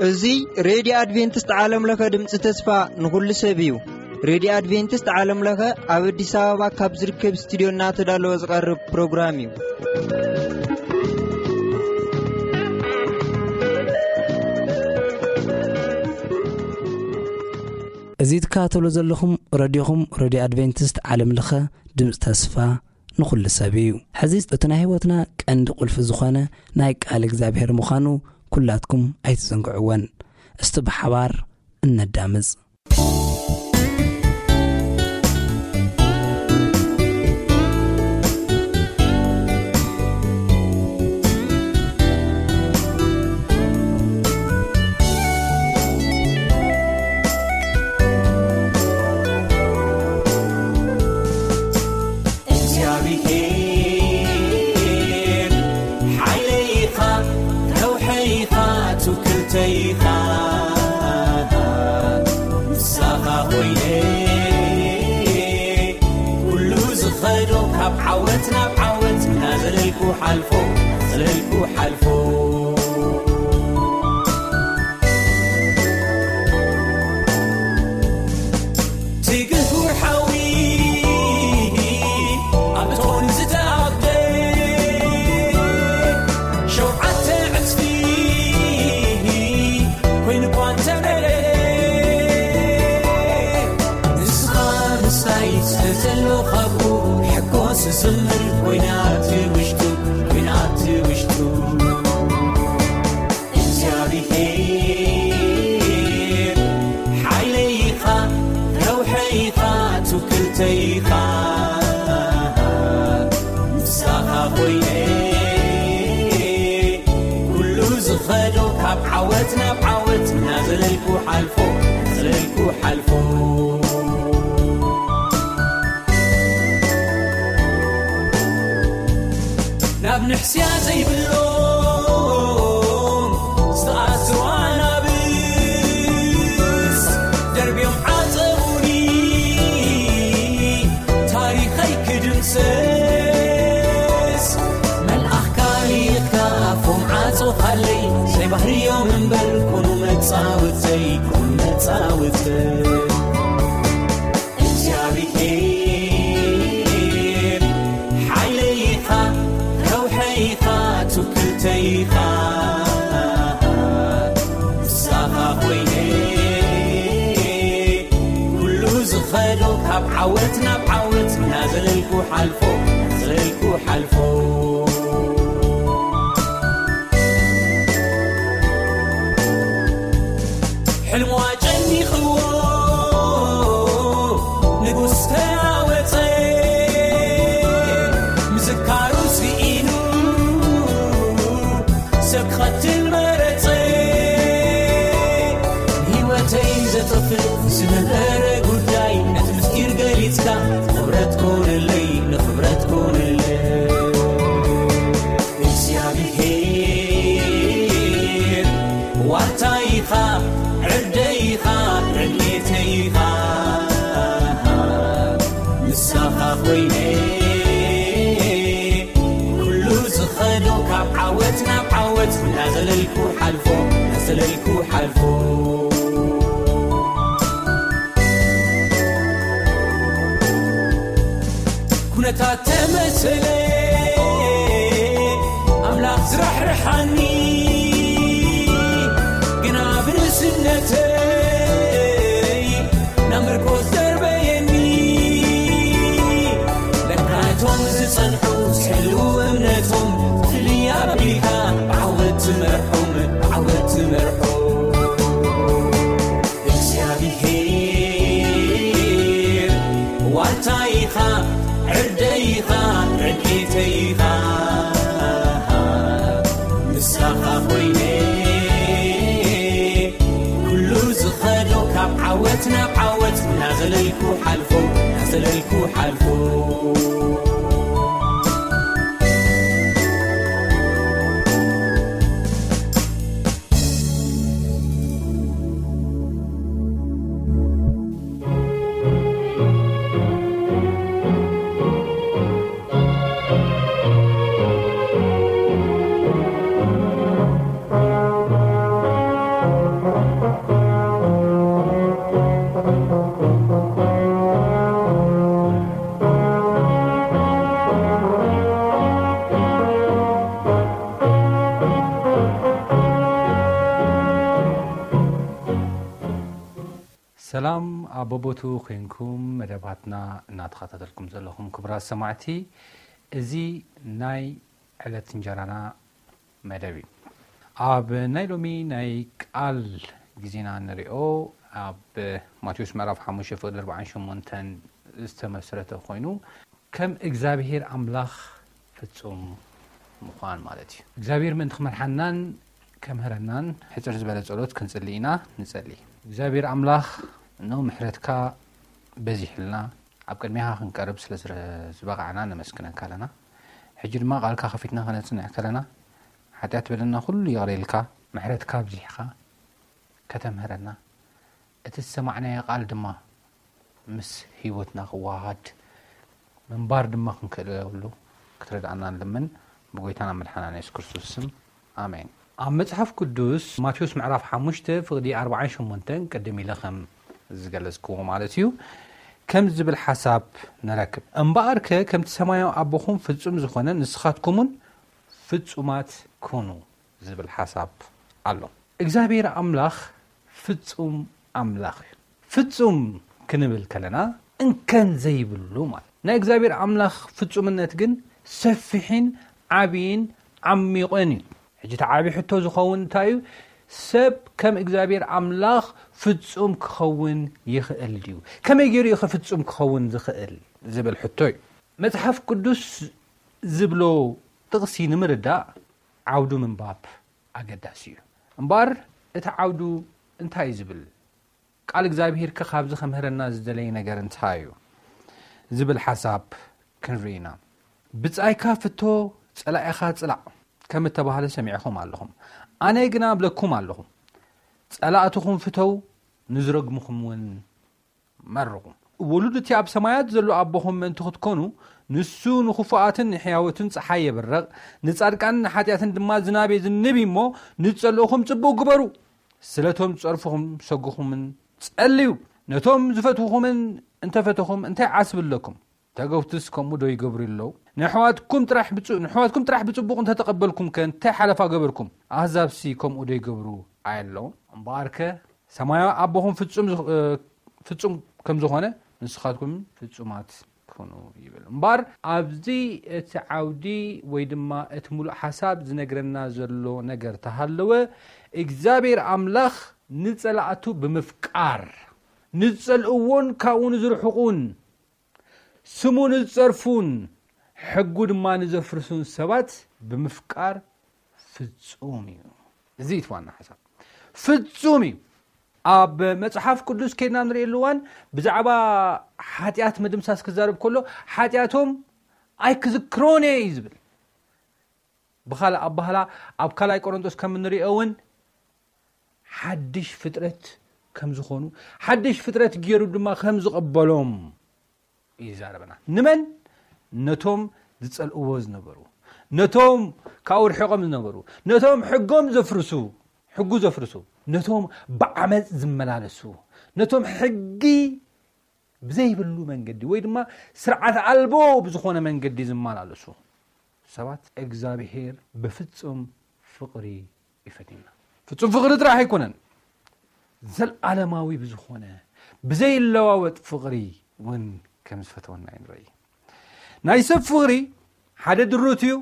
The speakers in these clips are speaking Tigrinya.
እዚ ሬድዮ ኣድቬንቲስት ዓለም ለኸ ድምፂ ተስፋ ንኹሉ ሰብ እዩ። ሬድዮ ኣድቬንቲስት ዓለም ለኸ ኣብ ኣዲስ ኣበባ ካብ ዝርከብ ስቱዲዮ እናተዳለወ ዝቐርብ ፕሮግራም እዩ። እዚ ትከታተሉ ዘለኹም ረድዮኹም ሬድዮ ኣድቬንቲስት ዓለም ለኸ ድምፂ ተስፋ ንኹሉ ሰብ እዩ። ሕዚ እቲ ናይ ህይወትና ቀንዲ ቁልፊ ዝኾነ ናይ ቃል እግዚኣብሔር ምዃኑ ኩላትኩም ኣይትዘንግዕወን። እስቲ ብሓባር እነዳምፅ። እግዚኣብሔር ሓይለይ ኢኻ፣ ረውሐይ ኢኻ፣ ትውክልተይ ኢኻ። ምሳኻ ኮይነ ኩሉ ዝኸዶ ካብ ዓወት ናብ ዓወት እናዘለልኩ ሓልፎ፣ እናዘለልኩ ሓልፎ። ትግህ ወርሓዊ ኣብ እቶን ዝተኣብደ ሸውዓተ ዕጽፊ ኮይኑ እኳ እንተመለ፣ ንስኻ ምሳይ ስለ ዘሎ ካብኡ ሕጎስ ዝዝምር ኮይናት ውሽጡ፣ ኮይናት ውሽጡ። እግዚኣብሔር ሓይለይ ኢኻ፣ ረውሐይ ኢኻ፣ ትውክልተይ ኢኻ። ምሳኻ ኮይነ ኩሉ ዝኸዶ ካብ ዓወት ናብ ዓወት እናዘለልኩ ሓልፎ፣ እናዘለልኩ ሓልፎ። ናብ ንሕስያ ዘይብሎም ዝተኣስሩ ኣናብስ ደርብዮም ዓጸዉኒ፣ ታሪኸይ ክድምሰስ። መልኣኽካ ልኢኽካ ኣፎም ዓጾኻለይ፣ ዘይባህርዮም እምበር ኮኑ መጻወተይ፣ ኮኑ መጻወተይ። እግዚኣብሔር ሓይለይ ኢኻ፣ ረውሐይ ኢኻ፣ ትውክልተይ ኢኻ። ምሳኻ ኮይነ ኩሉ ዝኸዶ ካብ ዓወት ናብ ዓወት እናዘለልኩ ሓልፎ፣ እናዘለልኩ ሓልፎ። ሕልሙ ኣጨኒኽዎ ንጉስ ተናወጸ፣ ምዝካሩ ስኢኑ ሰብ ክቐትል መረጸ። ንህይወተይ ዘጥፍእ ዝነበረ ጉዳይ ነቲ ምስጢር ገሊጽካ ንኽብረት ኮነለይ፣ ንኽብረት ኮነለይ። እግዚኣብሔር ዋልታ ኢኻ፣ ዕርደይ ኢኻ፣ ረድኤተይ ኢኻ። ምሳኻ ኮይነ ኩሉ ዝኸዶ ካብ ዓወት ናብ ዓወት እናዘለልኩ ሓልፎ፣ እናዘለልኩ ሓልፎ። ኩነታት ተመሰለ ኣምላኽ ዝራሕርሓኒ፣ ግና ብንእስነተይ ናብ ምርኮስ ደርበየኒ። ለካ እቶም ዝጸንሑ ዝሕልዉ እምነቶም፣ ፍልይ ኣቢልካ ብዓወት ትመርሖም፣ ብዓወት ትመርሖም። እግዚኣብሔር ዋልታ ኢኻ፣ ዕርደይ ኢኻ፣ ረድኤተይ ኢኻ። ምሳኻ ኮይነ ኩሉ ዝኸዶ ካብ ዓወት ናብ ዓወት እናዘለልኩ ሓልፎ፣ እናዘለልኩ ሓልፎ። በቦቱ ኮይንኩም መደባትና እናተኸታተልኩም ዘለኹም ክቡራት ሰማዕቲ፣ እዚ ናይ ዕለት እንጀራና መደብ እዩ። ኣብ ናይ ሎሚ ናይ ቃል ግዜና ንሪኦ ኣብ ማቴዎስ ምዕራፍ ሓሙሽተ ፍቕዲ ኣርባዓን ሸሞንተን ዝተመስረተ ኮይኑ፣ ከም እግዚኣብሔር ኣምላኽ ፍጹም ምዃን ማለት እዩ። እግዚኣብሔር ምእንቲ ክመርሓናን ከምህረናን ሕጽር ዝበለ ጸሎት ክንጽሊ ኢና። ንጸሊ። እግዚኣብሔር ኣምላኽ፣ እነሆ ምሕረትካ በዚሕልና ኣብ ቅድሜኻ ክንቀርብ ስለ ዝበቓዕና ነመስግነካ ኣለና። ሕጂ ድማ ቃልካ ከፊትና ከነጽንዕ ከለና፣ ሓጢኣት በደልና ኩሉ ይቕረ ኢልካ፣ ምሕረትካ ኣብዚሕኻ ከተምህረና፣ እቲ ዝሰማዕናዮ ቃል ድማ ምስ ህይወትና ክወሃሃድ፣ ምንባር ድማ ክንክእለሉ ክትረድኣና ንልምን፣ ብጎይታና መድሓናን የሱስ ክርስቶስ ስም፣ ኣሜን። ኣብ መጽሓፍ ቅዱስ ማቴዎስ ምዕራፍ ሓሙሽተ ፍቕዲ ኣርባዓን ሸሞንተን ቅድም ኢለ ከም ዝገለጽክዎ ማለት እዩ፣ ከም ዝብል ሓሳብ ንረክብ። "እምበኣርከ ከምቲ ሰማያዊ ኣቦኹም ፍጹም ዝኾነ፣ ንስኻትኩምውን ፍጹማት ኩኑ" ዝብል ሓሳብ ኣሎ። እግዚኣብሔር ኣምላኽ ፍጹም ኣምላኽ እዩ። ፍጹም ክንብል ከለና እንከን ዘይብሉ ማለት። ናይ እግዚኣብሔር ኣምላኽ ፍጹምነት ግን ሰፊሕን ዓብይን ዓሚቕን እዩ። ሕጂ እቲ ዓብዪ ሕቶ ዝኸውን እንታይ እዩ? ሰብ ከም እግዚኣብሔር ኣምላኽ ፍጹም ክኸውን ይኽእል ድዩ? ከመይ ገይሩ እዩ ፍጹም ክኸውን ዝኽእል ዝብል ሕቶ እዩ። መጽሓፍ ቅዱስ ዝብሎ ጥቕሲ ንምርዳእ ዓውዱ ምንባብ ኣገዳሲ እዩ። እምበኣር እቲ ዓውዱ እንታይ እዩ ዝብል? ቃል እግዚኣብሔር ከ ካብዚ ከምህረና ዝደለየ ነገር እንታይ እዩ? ዝብል ሓሳብ ክንርኢ ኢና። "ብጻይካ ፍቶ፣ ጸላኢኻ ጽላእ" ከም እተባህለ ሰሚዕኹም ኣለኹም። ኣነ ግና እብለኩም ኣለኹ፣ ጸላእትኹም ፍተው፣ ንዝረግምኹም እውን መርቑ። ውሉድ እቲ ኣብ ሰማያት ዘሎ ኣቦኹም ምእንቲ ክትኮኑ፣ ንሱ ንኽፉኣትን ንሕያዎትን ጸሓይ የብርቕ፣ ንጻድቃንን ንሓጢኣትን ድማ ዝናብ የዝንብ እዩ እሞ፣ ንጸልኡኹም ጽቡቕ ግበሩ፣ ስለቶም ዝጸርፉኹም ሰጉኹምን ጸልዩ። ነቶም ዝፈትውኹምን እንተፈተኹም እንታይ ዓስቢ ኣለኩም? ተገውትስ ከምኡ ዶ ይገብሩ ኣለዉ? ንኣሕዋትኩም ጥራሕ ብጹ-፣ ንኣሕዋትኩም ጥራሕ ብጽቡቕ እንተተቐበልኩም ከ እንታይ ሓለፋ ገበርኩም? ኣህዛብሲ ከምኡ ዶ ይገብሩ ኣየለዉን? እምበኣርከ ሰማያዊ ኣቦኹም ፍጹም ዝኽ-፣ እ፣ ፍጹም ከም ዝኾነ ንስኻትኩም ፍጹማት ኩኑ ይብል። እምበኣር ኣብዚ እቲ ዓውዲ ወይ ድማ እቲ ሙሉእ ሓሳብ ዝነግረና ዘሎ ነገር ተሃለወ፣ እግዚኣብሔር ኣምላኽ ንጸላእቱ ብምፍቃር፣ ንጸልእዎን ካብኡ ንዝርሕቑን፣ ስሙ ንዝጸርፉን ሕጉ ድማ ንዘፍርሱን ሰባት ብምፍቃር ፍጹም እዩ። እዚ እዩ እቲ ዋና ሓሳብ። ፍጹም እዩ። ኣብ መጽሓፍ ቅዱስ ከይድና ንርእየሉ እዋን ብዛዕባ ሓጢኣት ምድምሳስ ክዛረብ ከሎ፣ "ሓጢኣቶም ኣይክዝክሮን እየ" እዩ ዝብል። ብኻልእ ኣባህላ ኣብ ካልኣይ ቆሮንቶስ ከም እንርእዮ እውን ሓድሽ ፍጥረት ከም ዝኾኑ፣ ሓድሽ ፍጥረት ገይሩ ድማ ከም ዝቐበሎም እዩ ዝዛረበና። ንመን? ነቶም ዝጸልእዎ ዝነበሩ፣ ነቶም ካብኡ ርሒቖም ዝነበሩ፣ ነቶም ሕጎም ዘፍርሱ፣ ሕጉ ዘፍርሱ፣ ነቶም ብዓመጽ ዝመላለሱ፣ ነቶም ሕጊ ብዘይብሉ መንገዲ ወይ ድማ ስርዓት ኣልቦ ብዝኾነ መንገዲ ዝመላለሱ ሰባት እግዚኣብሔር ብፍጹም ፍቕሪ ይፈትየና። ፍጹም ፍቕሪ ጥራሕ ኣይኮነን፣ ዘለዓለማዊ ብዝኾነ ብዘይለዋወጥ ፍቕሪ እውን ከም ዝፈተወና እዩ ንርኢ። ናይ ሰብ ፍቕሪ ሓደ ድሩት እዩ።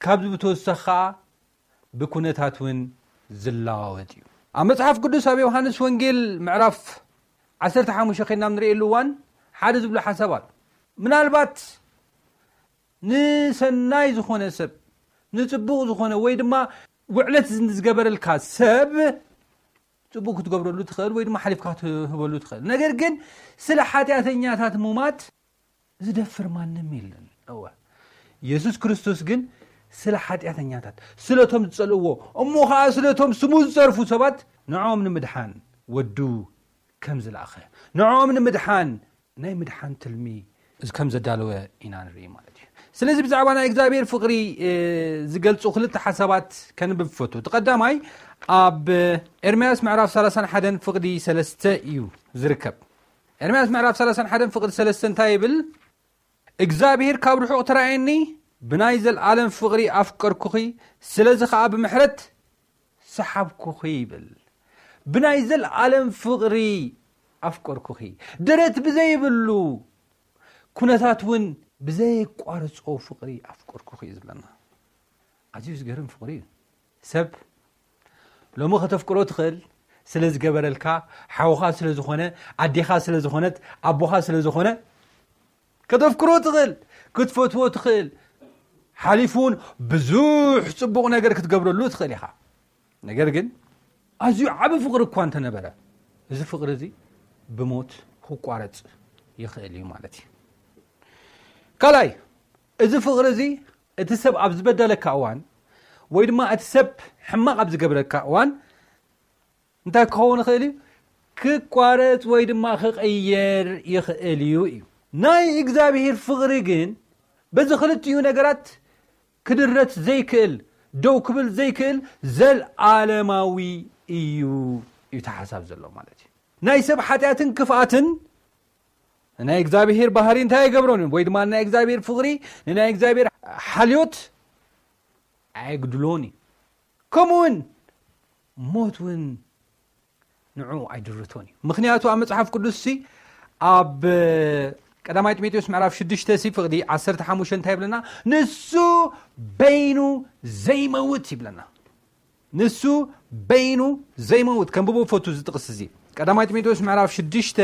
ካብዚ ብተወሳኺ ኸዓ ብኩነታት እውን ዝለዋወጥ እዩ። ኣብ መጽሓፍ ቅዱስ ኣብ ዮሃንስ ወንጌል ምዕራፍ ዓሰርተ ሓሙሽተ ኸይድና ንርእየሉ እዋን ሓደ ዝብሎ ሓሳብ ኣሎ። ምናልባት ንሰናይ ዝኾነ ሰብ፣ ንጽቡቕ ዝኾነ ወይ ድማ ውዕለት ዝገበረልካ ሰብ ጽቡቕ ክትገብረሉ ትኽእል ወይ ድማ ሓሊፍካ ክትህበሉ ትኽእል። ነገር ግን ስለ ሓጢኣተኛታት ሙማት ዝደፍር ማንም የለን። እወ፣ የሱስ ክርስቶስ ግን ስለ ሓጢኣተኛታት፣ ስለቶም ዝጸልእዎ፣ እሞ ኸዓ ስለቶም ስሙ ዝጸርፉ ሰባት ንዕኦም ንምድሓን ወዱ ከም ዝለኣኸ፣ ንዕኦም ንምድሓን ናይ ምድሓን ትልሚ ከም ዘዳለወ ኢና ንርኢ ማለት እዩ። ስለዚ ብዛዕባ ናይ እግዚኣብሔር ፍቕሪ፣ እ፣ ዝገልጹ ክልተ ሓሳባት ከንብብ ፈቱ። እቲ ቀዳማይ ኣብ ኤርምያስ ምዕራፍ ሰላሳን ሓደን ፍቕዲ ሰለስተ እዩ ዝርከብ። ኤርምያስ ምዕራፍ ሰላሳን ሓደን ፍቕዲ ሰለስተ እንታይ ይብል? "እግዚኣብሔር ካብ ርሑቕ ተራእየኒ፣ ብናይ ዘለዓለም ፍቕሪ ኣፍቀርኩኺ፣ ስለዚ ኸዓ ብምሕረት ሰሓብኩኺ" ይብል። ብናይ ዘለዓለም ፍቕሪ ኣፍቀርኩኺ፣ ደረት ብዘይብሉ ኩነታት እውን ብዘየቋርጾ ፍቕሪ ኣፍቀርኩኺ እዩ ዝብለና። ኣዝዩ ዝገርም ፍቕሪ እዩ። ሰብ ሎሚ ከተፍቅሮ ትኽእል፣ ስለ ዝገበረልካ፣ ሓውኻ ስለ ዝኾነ፣ ኣዴኻ ስለ ዝኾነት፣ ኣቦኻ ስለ ዝኾነ ከተፍቅሮ ትኽእል። ክትፈትዎ ትኽእል። ሓሊፉ እውን ብዙሕ ጽቡቕ ነገር ክትገብረሉ ትኽእል ኢኻ። ነገር ግን ኣዝዩ ዓቢ ፍቕሪ እኳ እንተነበረ፣ እዚ ፍቕሪ እዚ ብሞት ክቋረጽ ይኽእል እዩ ማለት እዩ። ካልኣይ፣ እዚ ፍቕሪ እዚ እቲ ሰብ ኣብ ዝበደለካ እዋን ወይ ድማ እቲ ሰብ ሕማቕ ኣብ ዝገብረካ እዋን እንታይ ክኸውን ይኽእል እዩ? ክቋረጽ ወይ ድማ ክቕየር ይኽእል እዩ እዩ። ናይ እግዚኣብሔር ፍቕሪ ግን በዚ ክልቲኡ ነገራት ክድረት ዘይክእል፣ ደው ክብል ዘይክእል፣ ዘልዓለማዊ እዩ እዩ እቲ ሓሳብ ዘሎ ማለት እዩ። ናይ ሰብ ሓጢኣትን ክፍኣትን ናይ እግዚኣብሔር ባህሪ እንታይ ኣይገብሮን እዩ? ወይ ድማ ናይ እግዚኣብሔር ፍቕሪ፣ ናይ እግዚኣብሔር ሓልዮት ኣየግድሎን እዩ። ከምኡ እውን ሞት እውን ንዑ ኣይድርቶን እዩ። ምክንያቱ ኣብ መጽሓፍ ቅዱስ ሲ ኣብ ቀዳማይ ጢሞቴዎስ ምዕራፍ ሽዱሽተ ሲ ፍቕዲ ዓሰርተ ሓሙሽተ እንታይ ይብለና? ንሱ በይኑ ዘይመውት ይብለና። ንሱ በይኑ ዘይመውት። ከንብቦ ፈቱ እዚ ጥቕስ እዚ። ቀዳማይ ጢሞቴዎስ ምዕራፍ ሽዱሽተ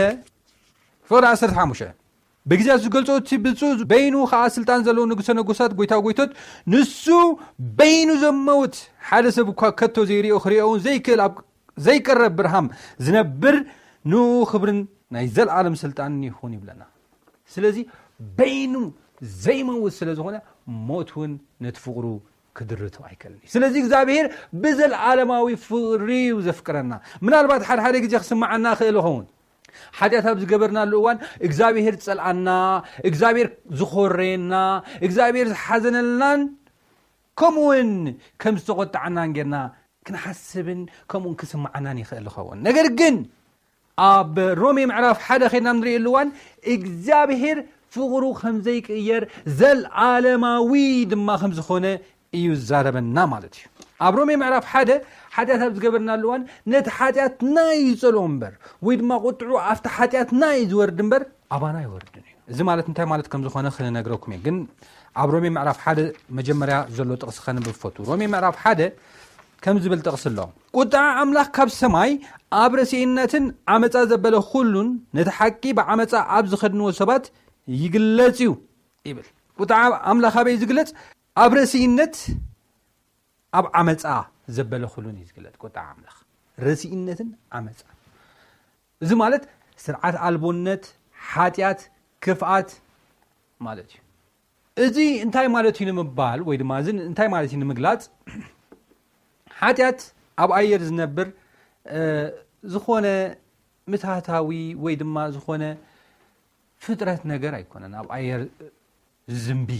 ፍቕዲ ዓሰርተ ሓሙሽተ። ብግዜ ዝገልጾ እቲ ብፁዕ በይኑ ኸዓ ስልጣን ዘለዎ ንጉሰ ነገስታት፣ ጎይታ ጎይቶት፣ ንሱ በይኑ ዘመውት፣ ሓደ ሰብ እኳ ከቶ ዘይሪኦ ክሪኦ እውን ዘይክእል ኣብ ዘይቀረብ ብርሃም ዝነብር ንኡ ክብርን ናይ ዘልዓለም ስልጣንን ይኹን ይብለና። ስለዚ በይኑ ዘይመውት ስለ ዝኾነ ሞት እውን ነቲ ፍቕሩ ክድርቶ ኣይከልን እዩ። ስለዚ እግዚኣብሔር ብዘልዓለማዊ ፍቕሪ እዩ ዘፍቅረና። ምናልባት ሓደ ሓደ ግዜ ክስምዓና ክእል ይኸውን። ሓጢኣት ኣብ ዝገበርናሉ እዋን እግዚኣብሔር ዝጸልኣና፣ እግዚኣብሔር ዝኾረየና፣ እግዚኣብሔር ዝሓዘነልናን ከምኡውን ከም ዝተቖጣዓናን ጌርና ክንሓስብን ከምኡውን ክስምዓናን ይኽእል ይኸውን። ነገር ግን ኣብ ሮሜ ምዕራፍ ሓደ ኸይድና ንርእየሉ እዋን እግዚኣብሔር ፍቕሩ ከም ዘይቅየር ዘልዓለማዊ ድማ ከም ዝኾነ እዩ ዝዛረበና ማለት እዩ። ኣብ ሮሜ ምዕራፍ ሓደ ሓጢኣት ኣብ ዝገበርናሉ እዋን ነቲ ሓጢኣትና እዩ ዝጸልኦ እምበር ወይ ድማ ቁጥዑ ኣብቲ ሓጢኣትና እዩ ዝወርድ እምበር ኣባና ኣይወርድን እዩ። እዚ ማለት እንታይ ማለት ከም ዝኾነ ክነግረኩም እየ። ግን ኣብ ሮሜ ምዕራፍ ሓደ መጀመርያ ዘሎ ጥቕሲ ከንብብ ፈቱ። ሮሜ ምዕራፍ ሓደ ከም ዝብል ጥቕሲ ኣሎ። ቁጥዓ ኣምላኽ ካብ ሰማይ ኣብ ረሲእነትን ዓመፃ ዘበለ ኩሉን ነቲ ሓቂ ብዓመፃ ኣብ ዝኸድንዎ ሰባት ይግለጽ እዩ ይብል። ቁጥዓ ኣምላኽ ኣበይ ዝግለጽ? ኣብ ረሲእነት ኣብ ዓመፃ ዘበለ ኩሉን እዩ ዝግለጽ። ቁጥዓ ኣምላኽ ረሲእነትን ዓመፃ፣ እዚ ማለት ስርዓት ኣልቦነት፣ ሓጢኣት፣ ክፍኣት ማለት እዩ። እዚ እንታይ ማለት እዩ ንምባል ወይ ድማ እዚ እንታይ ማለት እዩ ንምግላጽ፣ ሓጢኣት ኣብ ኣየር ዝነብር እ፣ ዝኾነ ምትሃታዊ ወይ ድማ ዝኾነ ፍጥረት ነገር ኣይኮነን። ኣብ ኣየር ዝዝንቢ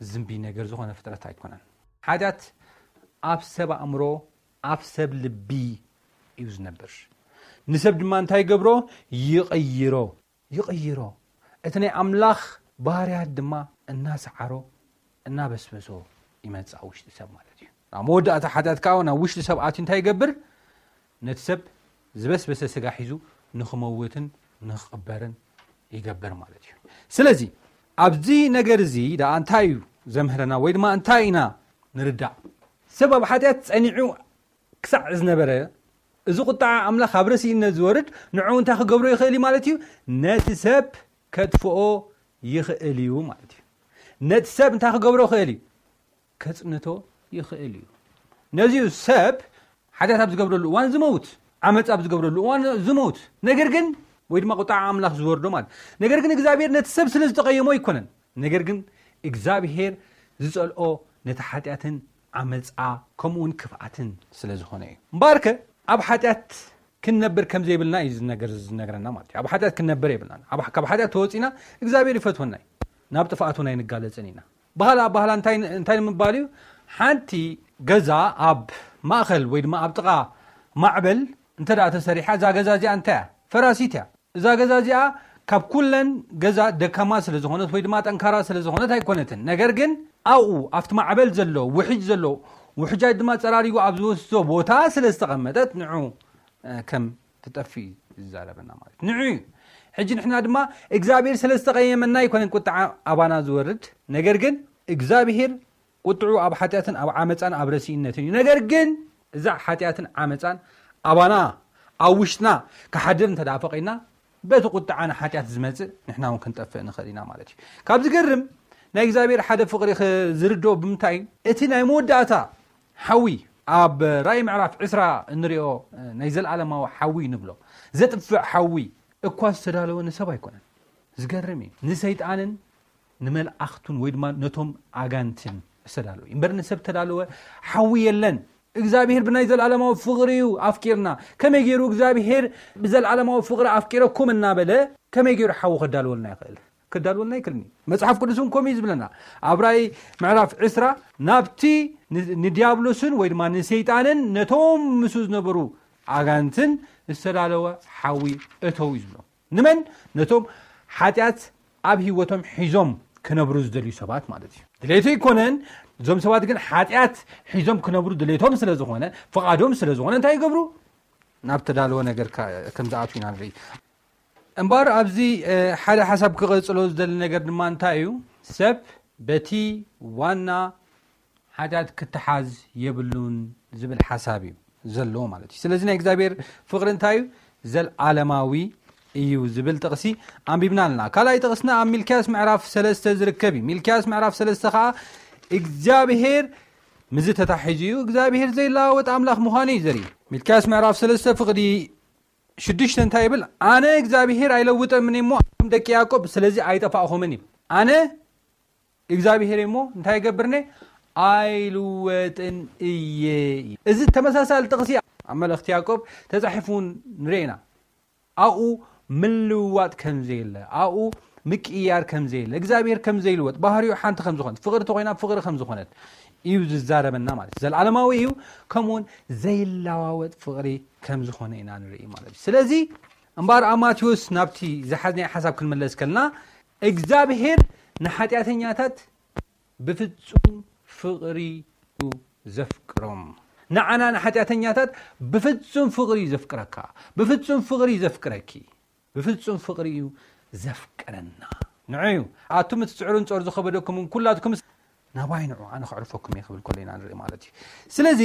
ዝዝንቢ ነገር ዝኾነ ፍጥረት ኣይኮነን። ሓጢኣት ኣብ ሰብ ኣእምሮ፣ ኣብ ሰብ ልቢ እዩ ዝነብር። ንሰብ ድማ እንታይ ይገብሮ? ይቕይሮ። ይቕይሮ። እቲ ናይ ኣምላኽ ባህርያት ድማ እናሰዓሮ እናበስበሶ ይመጽእ ኣብ ውሽጢ ሰብ ማለት እዩ። ኣብ መወዳእታ ሓጢኣት ከኣ ናብ ውሽጢ ሰብ ኣትዩ እንታይ ይገብር? ነቲ ሰብ ዝበስበሰ ስጋ ሒዙ ንኽመውትን ንኽቕበርን ይገብር ማለት እዩ። ስለዚ ኣብዚ ነገር እዚ ደኣ እንታይ እዩ ዘምህረና ወይ ድማ እንታይ ኢና ንርዳእ? ሰብ ኣብ ሓጢኣት ጸኒዑ ክሳዕ ዝነበረ እዚ ቁጣዓ ኣምላኽ ኣብ ረሲእነት ዝወርድ ንዕኡ እንታይ ክገብሮ ይኽእል እዩ ማለት እዩ? ነቲ ሰብ ከጥፍኦ ይኽእል እዩ ማለት እዩ። ነቲ ሰብ እንታይ ክገብሮ ይኽእል እዩ? ከጽንቶ ይኽእል እዩ። ነዚዩ ሰብ ሓጢኣት ኣብ ዝገብረሉ እዋን ዝመውት፣ ዓመፅ ኣብ ዝገብረሉ እዋን ዝመውት፣ ነገር ግን ወይ ድማ ቁጣዓ ኣምላኽ ዝወርዶ ማለት፣ ነገር ግን እግዚኣብሔር ነቲ ሰብ ስለ ዝተቐየሞ ኣይኮነን። ነገር ግን እግዚኣብሔር ዝጸልኦ ነቲ ሓጢኣትን ዓመፃ ከምኡውን ክፍኣትን ስለ ዝኾነ እዩ። እምበኣርከ ኣብ ሓጢኣት ክንነብር ከም ዘይብልና እዩ ዝነገር ዝነግረና ማለት እዩ። ኣብ ሓጢኣት ክንነብር የብልናን። ኣብ- ካብ ሓጢኣት ተወፂና እግዚኣብሔር ይፈትወና እዩ። ናብ ጥፍኣት እውን ኣይንጋለፅን ኢና። ባህላ ኣባህላ እንታይ እንታይ ንምባል እዩ? ሓንቲ ገዛ ኣብ ማእኸል ወይ ድማ ኣብ ጥቓ ማዕበል እንተ ደኣ ተሰሪሓ እዛ ገዛ እዚኣ እንታይ እያ? ፈራሲት እያ። እዛ ገዛ እዚኣ ካብ ኩለን ገዛ ደካማ ስለ ዝኾነት ወይ ድማ ጠንካራ ስለ ዝኾነት ኣይኮነትን። ነገር ግን ኣብኡ ኣብቲ ማዕበል ዘሎ ውሕጅ ዘሎ ውሕጃት ድማ ጸራሪጉ ኣብ ዝወስዶ ቦታ ስለ ዝተቐመጠት ንዑ እ፣ ከም ትጠፍእ እዩ ዝዛረበና ማለት ንዑ እዩ። ሕጂ ንሕና ድማ እግዚኣብሔር ስለ ዝተቐየመና ኣይኮነን ቁጥዓ ኣባና ዝወርድ፣ ነገር ግን እግዚኣብሔር ቁጥዑ ኣብ ሓጢኣትን ኣብ ዓመፃን ኣብ ረሲእነትን እዩ። ነገር ግን እዛ ሓጢኣትን ዓመፃን ኣባና ኣብ ውሽጥና ክሓድር እንተ ደኣ ፈቒድና፣ በቲ ቁጥዓ ንሓጢኣት ዝመፅእ ንሕና እውን ክንጠፍእ ንኽእል ኢና ማለት እዩ። ካብ ዝገርም ናይ እግዚኣብሔር ሓደ ፍቕሪ ኽ- ዝርድኦ ብምንታይ እዩ? እቲ ናይ መወዳእታ ሓዊ ኣብ ራእይ ምዕራፍ ዕስራ እንሪኦ ናይ ዘለዓለማዊ ሓዊ ንብሎ ዘጥፍእ ሓዊ እኳ ዝተዳለወ ንሰብ ኣይኮነን። ዝገርም እዩ። ንሰይጣንን ንመላእኽቱን ወይ ድማ ነቶም ኣጋንትን ዝተዳለወ እዩ። እምበር ንሰብ ተዳለወ ሓዊ የለን። እግዚኣብሔር ብናይ ዘለዓለማዊ ፍቕሪ እዩ ኣፍቂርና። ከመይ ገይሩ እግዚኣብሔር ብዘለዓለማዊ ፍቕሪ ኣፍቂረኩም እናበለ ከመይ ገይሩ ሓዊ ከዳልወልና ይኽእል? ከዳልወልና ይክልኒ። መጽሓፍ ቅዱስ እውን ከምኡ እዩ ዝብለና። ኣብ ራእይ ምዕራፍ ዕስራ ናብቲ ን- ንዲያብሎስን ወይ ድማ ንሰይጣንን ነቶም ምስኡ ዝነበሩ ኣጋንትን ዝተዳለወ ሓዊ እተው እዩ ዝብሎ። ንመን? ነቶም ሓጢኣት ኣብ ህይወቶም ሒዞም ክነብሩ ዝደልዩ ሰባት ማለት እዩ። ድሌቱ ኣይኮነን። እዞም ሰባት ግን ሓጢኣት ሒዞም ክነብሩ ድሌቶም ስለ ዝኾነ፣ ፍቓዶም ስለ ዝኾነ እንታይ ይገብሩ? ናብ ተዳለወ ነገር ከ- ከም ዝኣትዉ ኢና ንርኢ። እምበኣር ኣብዚ እ፣ ሓደ ሓሳብ ክቐጽሎ ዝደሊ ነገር ድማ እንታይ እዩ? ሰብ በቲ ዋና ሓጢኣት ክተሓዝ የብሉን ዝብል ሓሳብ እዩ ዘለዎ ማለት እዩ። ስለዚ ናይ እግዚኣብሔር ፍቕሪ እንታይ እዩ? ዘልዓለማዊ እዩ ዝብል ጥቕሲ ኣንቢብና ኣለና። ካልኣይ ጥቕስና ኣብ ሚልክያስ ምዕራፍ ሰለስተ ዝርከብ እዩ። ሚልክያስ ምዕራፍ ሰለስተ ከዓ እግዚኣብሔር ምዚ ተታሒዙ እዩ እግዚኣብሔር ዘይለዋወጥ ኣምላኽ ምዃኑ እዩ ዘርኢ። ሚልክያስ ምዕራፍ ሰለስተ ፍቕዲ ሽዱሽተ እንታይ ይብል? ኣነ እግዚኣብሔር ኣይለውጠምን እሞ ኣኹም ደቂ ያዕቆብ ስለዚ ኣይጠፋእኹምን ይብል። ኣነ እግዚኣብሔር እሞ እንታይ ይገብርኒ? ኣይልወጥን እየ። እዚ ተመሳሳሊ ጥቕሲ ኣብ መልእኽቲ ያዕቆብ ተጻሒፉ ንርኢ ኢና። ኣብኡ ምልውዋጥ ከም ዘየለ፣ ኣብኡ ምቅያር ከም ዘየለ፣ እግዚኣብሔር ከም ዘይልወጥ፣ ባህሪኡ ሓንቲ ከም ዝኾነት፣ ፍቕሪ ተኾይና ፍቕሪ ከም ዝኾነት እዩ ዝዛረበና ማለት እዩ። ዘልዓለማዊ እዩ፣ ከምኡውን ዘይለዋወጥ ፍቕሪ ከም ዝኾነ ኢና ንርኢ ማለት እዩ። ስለዚ እምበኣር ኣብ ማቴዎስ ናብቲ ዝሓዝናዮ ሓሳብ ክንመለስ ከልና እግዚኣብሔር ንሓጢኣተኛታት ብፍጹም ፍቕሪ እዩ ዘፍቅሮም። ንዓና ንሓጢኣተኛታት ብፍጹም ፍቕሪ እዩ ዘፍቅረካ፣ ብፍጹም ፍቕሪ እዩ ዘፍቅረኪ፣ ብፍጹም ፍቕሪ እዩ ዘፍቅረና። ንዑ እዩ ኣቱም እትጽዕሩን ጾር ዝኸበደኩምን ኩላትኩም ናባይ ንዑ ኣነ ከዕርፈኩም እየ ክብል ከሎ ኢና ንርኢ ማለት እዩ። ስለዚ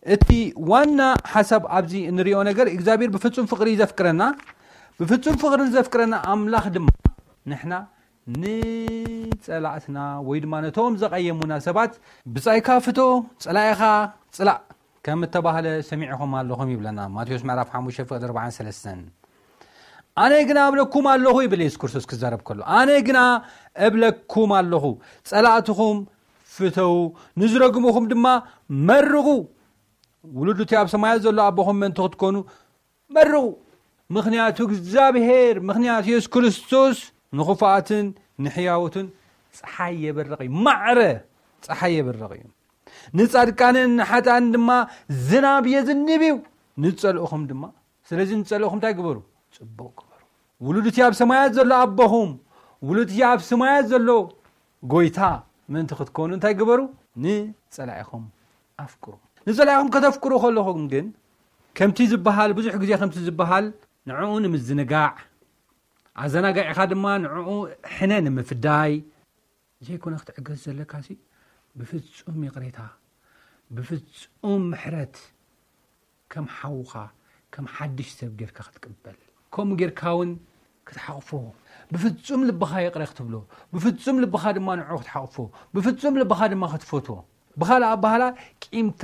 እቲ ዋና ሓሳብ ኣብዚ እንሪኦ ነገር እግዚኣብሔር ብፍጹም ፍቕሪ እዩ ዘፍቅረና። ብፍጹም ፍቕሪ ዘፍቅረና ኣምላኽ ድማ ንሕና ንጸላእትና ወይ ድማ ነቶም ዘቐየሙና ሰባት ብጻይካ ፍቶ፣ ጸላኢኻ ጽላእ ከም እተባህለ ሰሚዕኹም ኣለኹም ይብለና ማቴዎስ ምዕራፍ ሓሙሽተ ፍቕዲ ኣርባዓን ሰለስተን። ኣነ ግና እብለኩም ኣለኹ ይብል የሱስ ክርስቶስ ክዛረብ ከሎ፣ ኣነ ግና እብለኩም ኣለኹ ጸላእትኹም ፍተው፣ ንዝረግሙኹም ድማ መርቑ፣ ውሉድ እቲ ኣብ ሰማያት ዘሎ ኣቦኹም ምእንቲ ክትኮኑ መርቑ። ምኽንያቱ እግዚኣብሔር ምኽንያቱ የሱስ ክርስቶስ ንኽፉኣትን ንሕያውትን ፀሓይ የበርቕ እዩ። ማዕረ ፀሓይ የበርቕ እዩ። ንፃድቃንን ንሓጥኣንን ድማ ዝናብ የዝንብ እዩ። ንፀልእኹም ድማ ስለዚ ንፀልእኹም እንታይ ግበሩ? ፅቡቕ ግበሩ። ውሉድ እቲ ኣብ ሰማያት ዘሎ ኣቦኹም ውሉድ እቲ ኣብ ሰማያት ዘሎ ጎይታ ምእንቲ ክትኮኑ እንታይ ግበሩ? ንፀላኢኹም ኣፍቅሩ። ንፀላኢኹም ከተፍቅሩ ከለኹም ግን ከምቲ ዝበሃል ብዙሕ ግዜ ከምቲ ዝበሃል ንዕኡ ንምዝንጋዕ ኣዘናጋዒኻ ድማ ንዕኡ ሕነ ንምፍዳይ ዘይኮነ ክትዕገስ ዘለካ ሲ ብፍፁም ይቕሬታ ብፍፁም ምሕረት ከም ሓውኻ ከም ሓድሽ ሰብ ጌርካ ክትቅበል ከምኡ ጌርካ እውን ክትሓቕፎ ብፍፁም ልብኻ ይቕረ ክትብሎ ብፍፁም ልብኻ ድማ ንዕኡ ክትሓቕፎ ብፍፁም ልብኻ ድማ ክትፈትዎ ብኻልእ ኣባህላ ቂምታ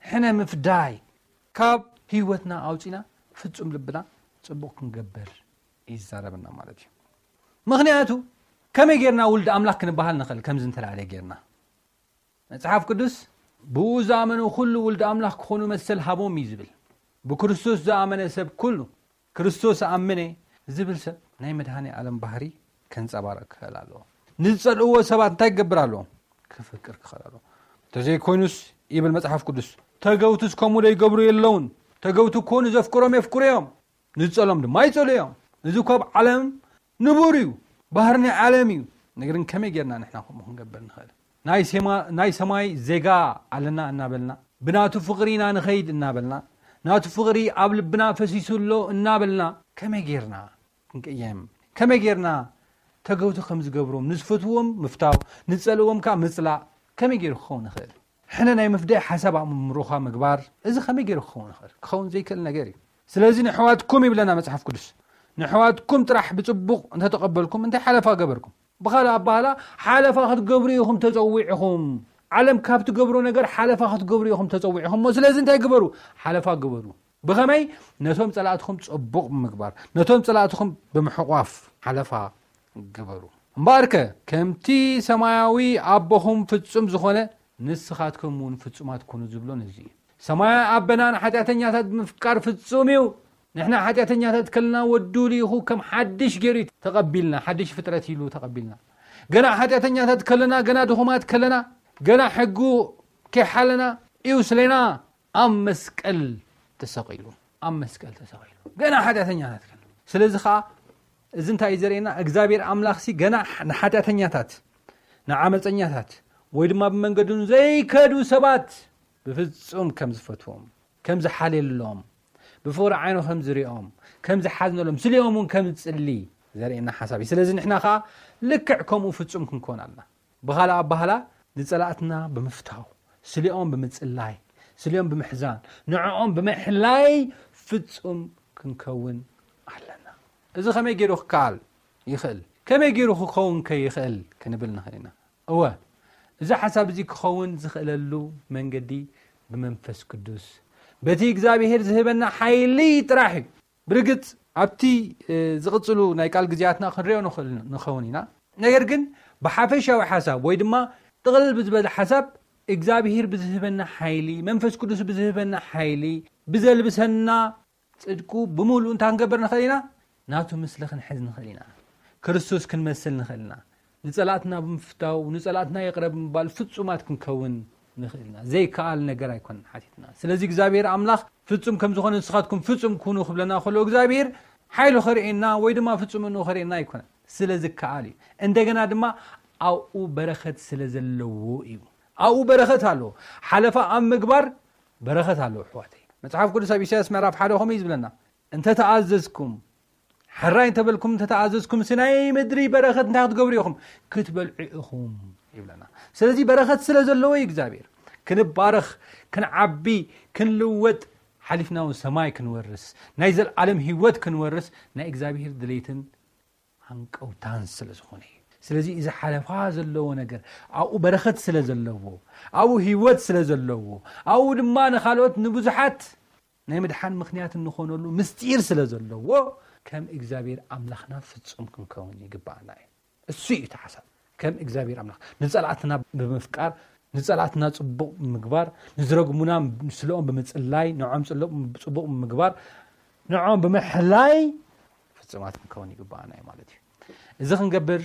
ሕነ ምፍዳይ ካብ ህይወትና ኣውፂና ፍፁም ልብና ፅቡቕ ክንገብር ይዛረበና ማለት እዩ። ምኽንያቱ ከመይ ጌርና ውልድ ኣምላኽ ክንበሃል ንኽእል? ከምዚ እንተላለ ጌርና መጽሓፍ ቅዱስ ብኡ ዝኣመኑ ኩሉ ውልድ ኣምላኽ ክኾኑ መሰል ሃቦም እዩ ዝብል። ብክርስቶስ ዝኣመነ ሰብ ኩሉ ክርስቶስ ኣምነ ዝብል ሰብ ናይ መድሃኒ ዓለም ባህሪ ከንጸባረቕ ክኽእል ኣለዎ። ንዝጸልእዎ ሰባት እንታይ ክገብር ኣለዎ? ክፍቅር ክኽእል ኣለዎ። እንተዘይኮይኑስ ይብል መጽሓፍ ቅዱስ ተገውትስ ከምኡ ዶ ይገብሩ የለውን? ተገውቲ እኮ ንዘፍቅሮም የፍቅሩ እዮም። ንጸሎም ድማ ይጸሉ እዮም። እዚ እኮ ኣብ ዓለም ንቡር እዩ። ባህሪ ናይ ዓለም እዩ። ነገር ግን ከመይ ጌርና ንሕና ከምኡ ክንገብር ንኽእል? ናይ ሴማ- ናይ ሰማይ ዜጋ ኣለና እናበልና ብናቱ ፍቕሪ ኢና ንኸይድ እናበልና ናቱ ፍቕሪ ኣብ ልብና ፈሲሱ ኣሎ እናበልና ከመይ ጌርና ክንቅየም? ከመይ ጌርና ተገውቲ ከም ዝገብሮም ንዝፈትዎም ምፍታው፣ ንጸልዎም ከኣ ምጽላእ ከመይ ገይሩ ክኸውን ይኽእል? ሕነ ናይ ምፍዳይ ሓሳብ ኣእምሮኻ ምግባር፣ እዚ ከመይ ገይሩ ክኸውን ይኽእል? ክኸውን ዘይክእል ነገር እዩ። ስለዚ ንሕዋትኩም ይብለና መጽሓፍ ቅዱስ፣ ንሕዋትኩም ጥራሕ ብጽቡቕ እንተተቐበልኩም እንታይ ሓለፋ ገበርኩም? ብኻልእ ኣባህላ ሓለፋ ክትገብሩ ኢኹም ተጸዊዕኹም። ዓለም ካብ ትገብሮ ነገር ሓለፋ ክትገብሩ ኢኹም ተጸዊዕኹም። እሞ ስለዚ እንታይ ግበሩ? ሓለፋ ግበሩ። ብኸመይ? ነቶም ጸላእትኹም ጽቡቕ ብምግባር፣ ነቶም ጸላእትኹም ብምሕቋፍ ሓለፋ ግበሩ። እምበኣርከ ከምቲ ሰማያዊ ኣቦኹም ፍጹም ዝኾነ ንስኻትኩም እውን ፍጹማት ኩኑ ዝብሎ ነዚ እዩ። ሰማያዊ ኣቦና ንሓጢኣተኛታት ብምፍቃር ፍጹም እዩ። ንሕና ሓጢኣተኛታት ከለና ወዱ ልኢኹ ከም ሓድሽ ገይሩ ተቐቢልና፣ ሓድሽ ፍጥረት ኢሉ ተቐቢልና። ገና ሓጢኣተኛታት ከለና፣ ገና ድኹማት ከለና፣ ገና ሕጉ ከይሓለና እዩ ስሌና ኣብ መስቀል ተሰቒሉ፣ ኣብ መስቀል ተሰቒሉ። ገና ሓጢኣተኛታት ከለና። ስለዚ ኸኣ እዚ እንታይ እዩ ዘርእየና? እግዚኣብሔር ኣምላኽሲ ገና ንሓጢኣተኛታት፣ ንዓመፀኛታት፣ ወይ ድማ ብመንገዱ ዘይከዱ ሰባት ብፍጹም ከም ዝፈትዎም፣ ከም ዝሓልየሎም፣ ብፍቕሪ ዓይኑ ከም ዝሪኦም፣ ከም ዝሓዝነሎም፣ ስሊኦም እውን ከም ዝጽሊ ዘርእየና ሓሳብ እዩ። ስለዚ ንሕና ኸኣ ልክዕ ከምኡ ፍጹም ክንከውን ኣለና። ብኻልእ ኣባህላ ንጸላእትና ብምፍታው፣ ስሊኦም ብምጽላይ፣ ስሊኦም ብምሕዛን፣ ንዕኦም ብምሕላይ ፍጹም ክንከውን ኣለና። እዚ ከመይ ገይሩ ክከኣል ይኽእል? ከመይ ገይሩ ክኸውን ከ ይኽእል ክንብል ንኽእል ኢና። እወ፣ እዚ ሓሳብ እዚ ክኸውን ዝኽእለሉ መንገዲ ብመንፈስ ቅዱስ፣ በቲ እግዚኣብሔር ዝህበና ሓይሊ ጥራሕ እዩ። ብርግጽ ኣብቲ፣ እ፣ ዝቕጽሉ ናይ ቃል ግዜያትና ክንሪኦ ንኽእል ንኸውን ኢና። ነገር ግን ብሓፈሻዊ ሓሳብ ወይ ድማ ጥቕልል ብዝበለ ሓሳብ እግዚኣብሔር ብዝህበና ሓይሊ፣ መንፈስ ቅዱስ ብዝህበና ሓይሊ፣ ብዘልብሰና ጽድቁ ብምሉእ እንታይ ክንገብር ንኽእል ኢና? ናቱ ምስሊ ክንሕዝ ንኽእል ኢና። ክርስቶስ ክንመስል ንኽእል ኢና። ንጸላእትና ብምፍታው፣ ንጸላእትና ይቕረ ብምባል ፍጹማት ክንከውን ንኽእል ኢና። ዘይከኣል ነገር ኣይኮነን ሓቲትና። ስለዚ እግዚኣብሔር ኣምላኽ ፍጹም ከም ዝኾነ ንስኻትኩም ፍጹም ኩኑ ክብለና ከሎ እግዚኣብሔር ሓይሉ ከርእየና ወይ ድማ ፍጹምንኡ ከርእየና ኣይኮነን። ስለ ዝከኣል እዩ። እንደገና ድማ ኣብኡ በረኸት ስለ ዘለዎ እዩ። ኣብኡ በረኸት ኣሎ። ሓለፋ ኣብ ምግባር በረኸት ኣሎ ኣሕዋተይ። መጽሓፍ ቅዱስ ኣብ ኢሳያስ ምዕራፍ ሓደ ከምኡ እዩ ዝብለና። "እንተ ተኣዘዝኩም፣ ሕራይ እንተበልኩም፣ እንተ ተኣዘዝኩም፣ እቲ ናይ ምድሪ በረኸት እንታይ ክትገብሩ ኢኹም? ክትበልዑ ኢኹም" ይብለና። ስለዚ በረኸት ስለ ዘለዎ እዩ እግዚኣብሔር። ክንባረኽ፣ ክንዓቢ፣ ክንልወጥ፣ ሓሊፍና እውን ሰማይ ክንወርስ፣ ናይ ዘልዓለም ህይወት ክንወርስ ናይ እግዚኣብሔር ድሌትን ሃንቀውታን ስለ ዝኾነ እዩ። ስለዚ እዚ ሓለፋ ዘለዎ ነገር ኣብኡ በረኸት ስለ ዘለዎ፣ ኣብኡ ህይወት ስለ ዘለዎ፣ ኣብኡ ድማ ንኻልኦት ንብዙሓት ናይ ምድሓን ምኽንያት እንኾነሉ ምስጢር ስለ ዘለዎ ከም እግዚኣብሔር ኣምላኽና ፍጹም ክንከውን ይግባኣና እዩ። እሱ እዩ እቲ ሓሳብ። ከም እግዚኣብሔር ኣምላኽ ንጸላእትና ብምፍቃር፣ ንጸላእትና ጽቡቕ ብምግባር፣ ንዝረግሙና ምስለኦም ብምጽላይ፣ ንዖም ጽሎ-፣ ጽቡቕ ብምግባር፣ ንዖም ብምሕላይ ፍጹማት ክንከውን ይግባኣና እዩ ማለት እዩ። እዚ ክንገብር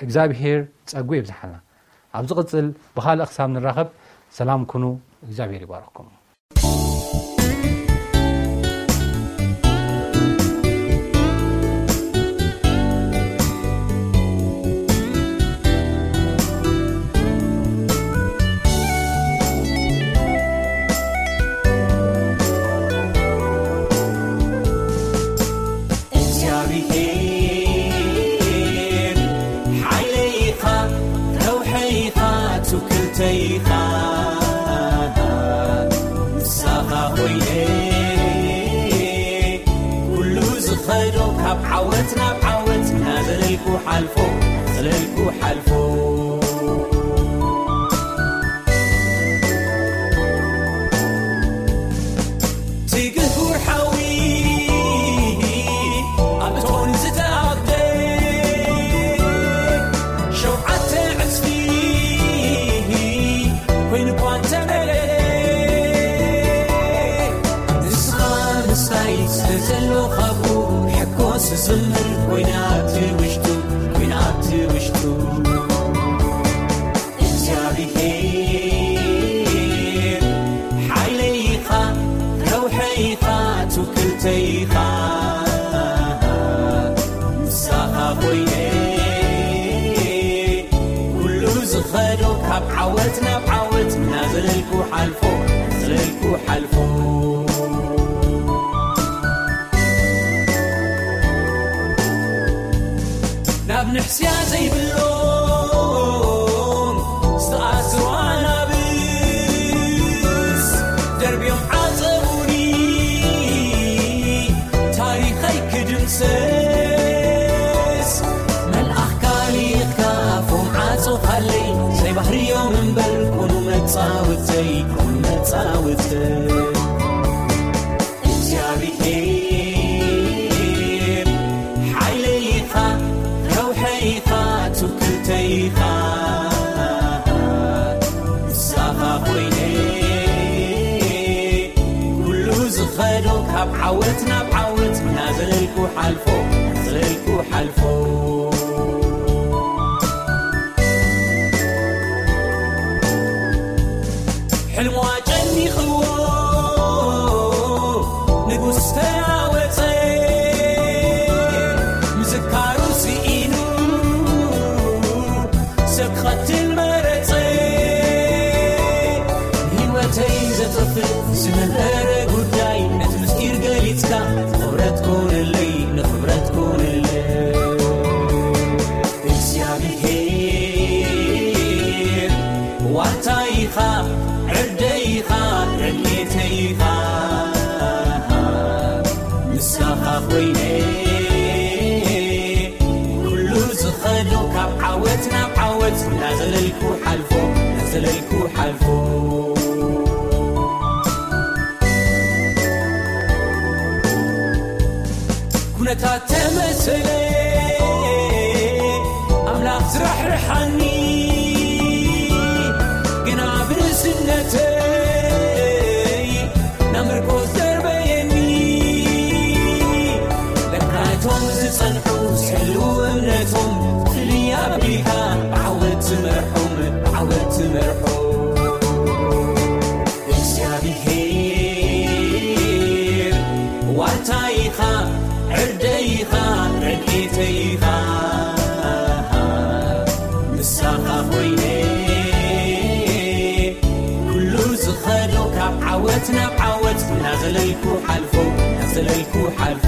እግዚኣብሔር ጸጉ የብዝሓልና። ኣብ ዝቕጽል ብኻልእ ክሳብ ንራኸብ ሰላም ኩኑ። እግዚኣብሔር ይባርኽኩም። እግዚኣብሔር ሓይለይ ኢኻ፣ ረውሐይ ኢኻ፣ ትውክልተይ ኢኻ። ምሳኻ ኮይነ ኩሉ ዝኸዶ ካብ ዓወት ናብ ዓወት እናዘለልኩ ሓልፎ፣ ዘለልኩ ሓልፎ። ትግህ ውርሓዊ ኣብ እቶን ዝተኣኽደ ሸውዓተ ዕጽፊ ኮይኑ እኳ እንተመለ፣ ንስኻ ምስታይ ስለ ዘሎ ካብኡ ሕኮስ ዝዝምር ኮይኑ ኣብቲ ውሽጡ፣ ኮይኑ ኣብቲ ውሽጡ። እግዚኣብሔር ሓይለይ ኢኻ፣ ረውሐይ ኢኻ፣ ትውክልተይ ኢኻ። ምሳኻ ኮይነ ኩሉ ዝኸዶ ካብ ዓወት ናብ ዓወት እናዘለልኩ ሓልፎ፣ ዘለልኩ ሓልፎ። ኣብ ንሕስያ ዘይብሎም ዝተኣስሩ ኣናብስ ደርብዮም ዓጸዉኒ። ታሪኸይ ክድምሰስ መልኣኽካ ልኢኽካ ኣፎም ዓጾኻለይ። ዘይባህርዮም እምበር ኩኑ መጻወተይ፣ ኩኑ መጻወተይ። እግዚኣብሔር ሓይለይ ኢኻ፣ ከውሐይ ኢኻ፣ ትውክልተይ ኢኻ። ምሳኻ ኮይነ ኩሉ ዝኸዶ ካብ ዓወት ናብ ዓወት እናዘለልኩ ሓልፎ፣ እናዘለልኩ ሓልፎ። ሕልሙ ኣጨኒኽዎ ንጉስ ተናወጸ፣ ምዝካሩ ስኢኑ ሰብ ክቐትል መረጸ። ንህይወተይ ዘጥፍእ ዝነበረ ጉዳይ ነቲ ምስጢር ገሊጽካ ንኽብረት ኮነለይ፣ ንኽብረት ኮነለይ። እግዚኣብሔር ዋልታ ኢኻ፣ ዕርደይ ኢኻ፣ ረድኤተይ ኢኻ። ምሳኻ ኮይነ ኩሉ ዝኸዶ ካብ ዓወት ናብ ዓወት እናዘለልኩ ሓልፎ፣ እናዘለልኩ ሓልፎ። ኩነታት ተመሰለ ኣምላኽ ዝራሕርሓኒ፣ ግና ብንእስነተይ ናብ ምርኮስ ደርበየኒ። ለካ እቶም ዝጸንሑ ዝሕልዉ እምነቶም፣ ፍልይ ኣቢልካ ብዓወት ትመርሖም፣ ብዓወት ትመርሖም። እግዚኣብሔር ዋልታ ኢኻ፣ ዕርደይ ኢኻ፣ ረድኤተይ ኢኻ። ምሳኻ ኮይነ ኩሉ ዝኸዶ ካብ ዓወት ናብ ዓወት እናዘለልኩ ሓልፎ፣ እናዘለልኩ ሓልፎ።